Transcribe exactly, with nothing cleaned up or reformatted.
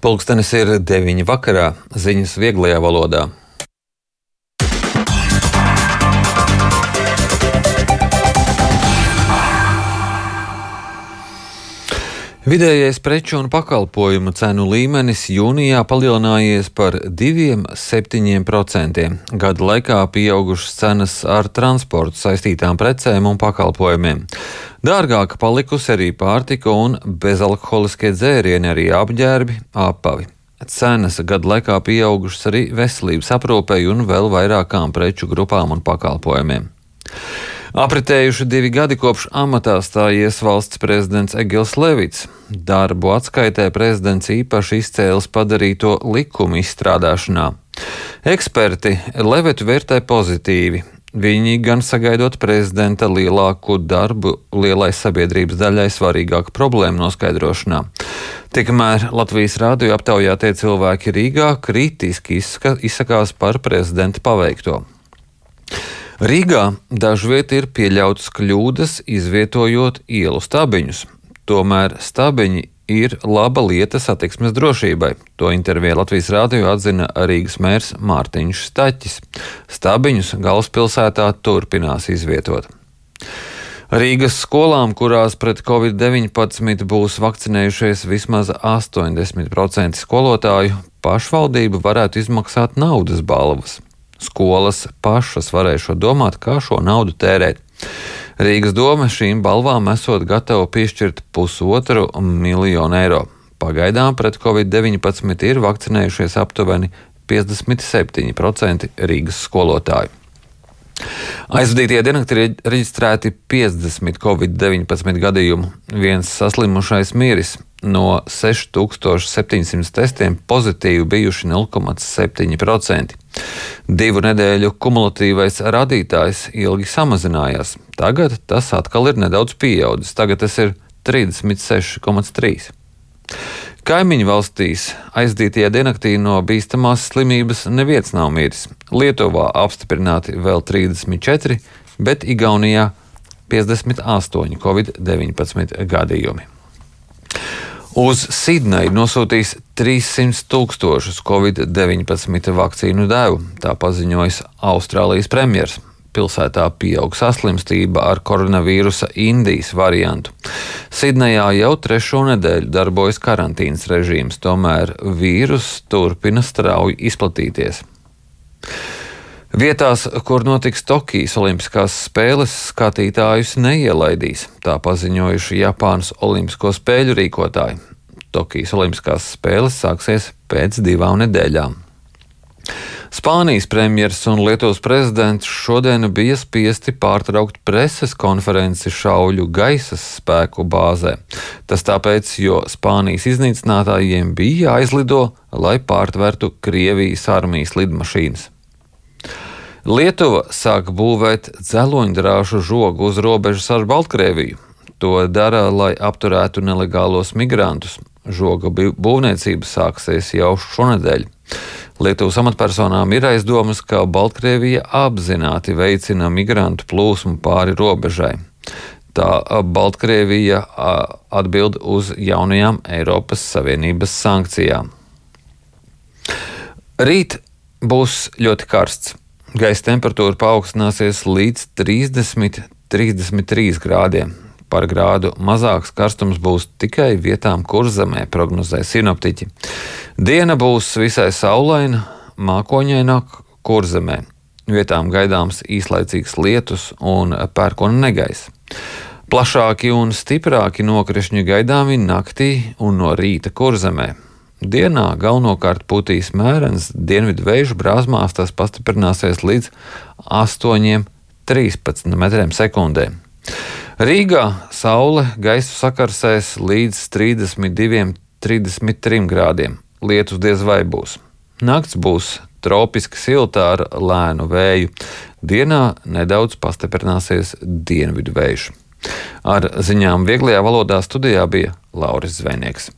Pulkstenis ir deviņi vakarā, ziņas vieglajā valodā. Vidējais preču un pakalpojumu cenu līmenis jūnijā palielinājies par divi komats septiņi procenti. Gada laikā pieaugušas cenas ar transportu saistītām precēm un pakalpojumiem. Dārgāka palikusi arī pārtika un bezalkoholiskie dzērieni, arī apģērbi, apavi. Cenas gada laikā pieaugušas arī veselības aprūpei un vēl vairākām preču grupām un pakalpojumiem. Apritējuši divi gadi kopš amatā stājies valsts prezidents Egils Levits. Darbu atskaitē prezidents īpaši izcēlis padarīto likumu izstrādāšanā. Eksperti Levitu vērtē pozitīvi. Viņi gan sagaidot prezidenta lielāku darbu lielai sabiedrības daļai svarīgāku problēmu noskaidrošanā. Tikmēr Latvijas rādio aptaujātie cilvēki Rīgā kritiski izsakās par prezidenta paveikto. Rīgā dažviet ir pieļautas kļūdas, izvietojot ielu stabiņus. Tomēr stabiņi ir laba lieta satiksmes drošībai. To intervijā Latvijas rādio atzina Rīgas mērs Mārtiņš Staķis. Stabiņus galvaspilsētā turpinās izvietot. Rīgas skolām, kurās pret covid deviņpadsmit būs vakcinējušies vismaz astoņdesmit procenti skolotāju, pašvaldība varētu izmaksāt naudas balvas. Skolas pašas varēšot domāt, kā šo naudu tērēt. Rīgas doma šīm balvām esot gatava piešķirt pusotru miljonu eiro. Pagaidām pret covid deviņpadsmit ir vakcinējušies aptuveni piecdesmit septiņi procenti Rīgas skolotāju. Aizvadītajā diennaktī ir reģistrēti piecdesmit covid deviņpadsmit gadījumu. Viens saslimušais miris. No seši tūkstoši septiņsimt testiem pozitīvi bijuši nulle komats septiņi procenti. Divu nedēļu kumulatīvais rādītājs ilgi samazinājās. Tagad tas atkal ir nedaudz pieaudzis. Tagad tas ir trīsdesmit seši komats trīs. Kaimiņu valstīs aizdītajā diennaktī no bīstamās slimības neviens nav miris. Lietuvā apstiprināti vēl trīsdesmit četri, bet Igaunijā piecdesmit astoņi covid deviņpadsmit gadījumi. Uz Sidneju nosūtīs trīssimt tūkstošus covid deviņpadsmit vakcīnu devu, tā paziņojis Austrālijas premjers. Pilsētā pieaug saslimstība ar koronavīrusa Indijas variantu. Sidnejā jau trešo nedēļu darbojas karantīnas režīms, tomēr vīrus turpina strauji izplatīties. Vietās, kur notiks Tokijas olimpiskās spēles, skatītājus neielaidīs, tā paziņojuši Japānas olimpisko spēļu rīkotāji. Tokijas olimpiskās spēles sāksies pēc divām nedēļām. Spānijas premjers un Lietuvas prezidents šodien bija spiesti pārtraukt preses konferenci šauļu gaisa spēku bāzē. Tas tāpēc, jo Spānijas iznīcinātājiem bija jāizlido, lai pārtvertu Krievijas armijas lidmašīnas. Lietuva sāk būvēt dzeloņdrāšu žogu uz robežas ar Baltkrieviju. To dara, lai apturētu nelegālos migrantus. Žoga būvniecība sāksies jau šonedēļ. Lietuvas amatpersonām ir aizdomas, ka Baltkrievija apzināti veicina migrantu plūsmu pāri robežai. Tā Baltkrievija atbild uz jaunajām Eiropas Savienības sankcijām. Rīt būs ļoti karsts. Gaisa temperatūra paaugstināsies līdz trīsdesmit līdz trīsdesmit trīs grādiem. Par grādu mazāks karstums būs tikai vietām Kurzemē, prognozē sinoptiķi. Diena būs visai saulaina, mākoņaina Kurzemē. Vietām gaidāms īslaicīgs lietus un pērkona negaiss. Plašāki un stiprāki nokrišņi gaidāmi naktī un no rīta Kurzemē. Dienā galvenokārt pūtīs mērens dienvidu vēju brāzmās, tas pastiprināsies līdz astoņiem līdz trīspadsmit metriem sekundē. Rīgā saule gaisu sakarsēs līdz trīsdesmit diviem līdz trīsdesmit trim grādiem. Lietus diez vai būs. Nakts būs tropiski silta ar lēnu vēju. Dienā nedaudz pastiprināsies dienvidu vējš. Ar ziņām vieglajā valodā studijā bija Lauris Zvejnieks.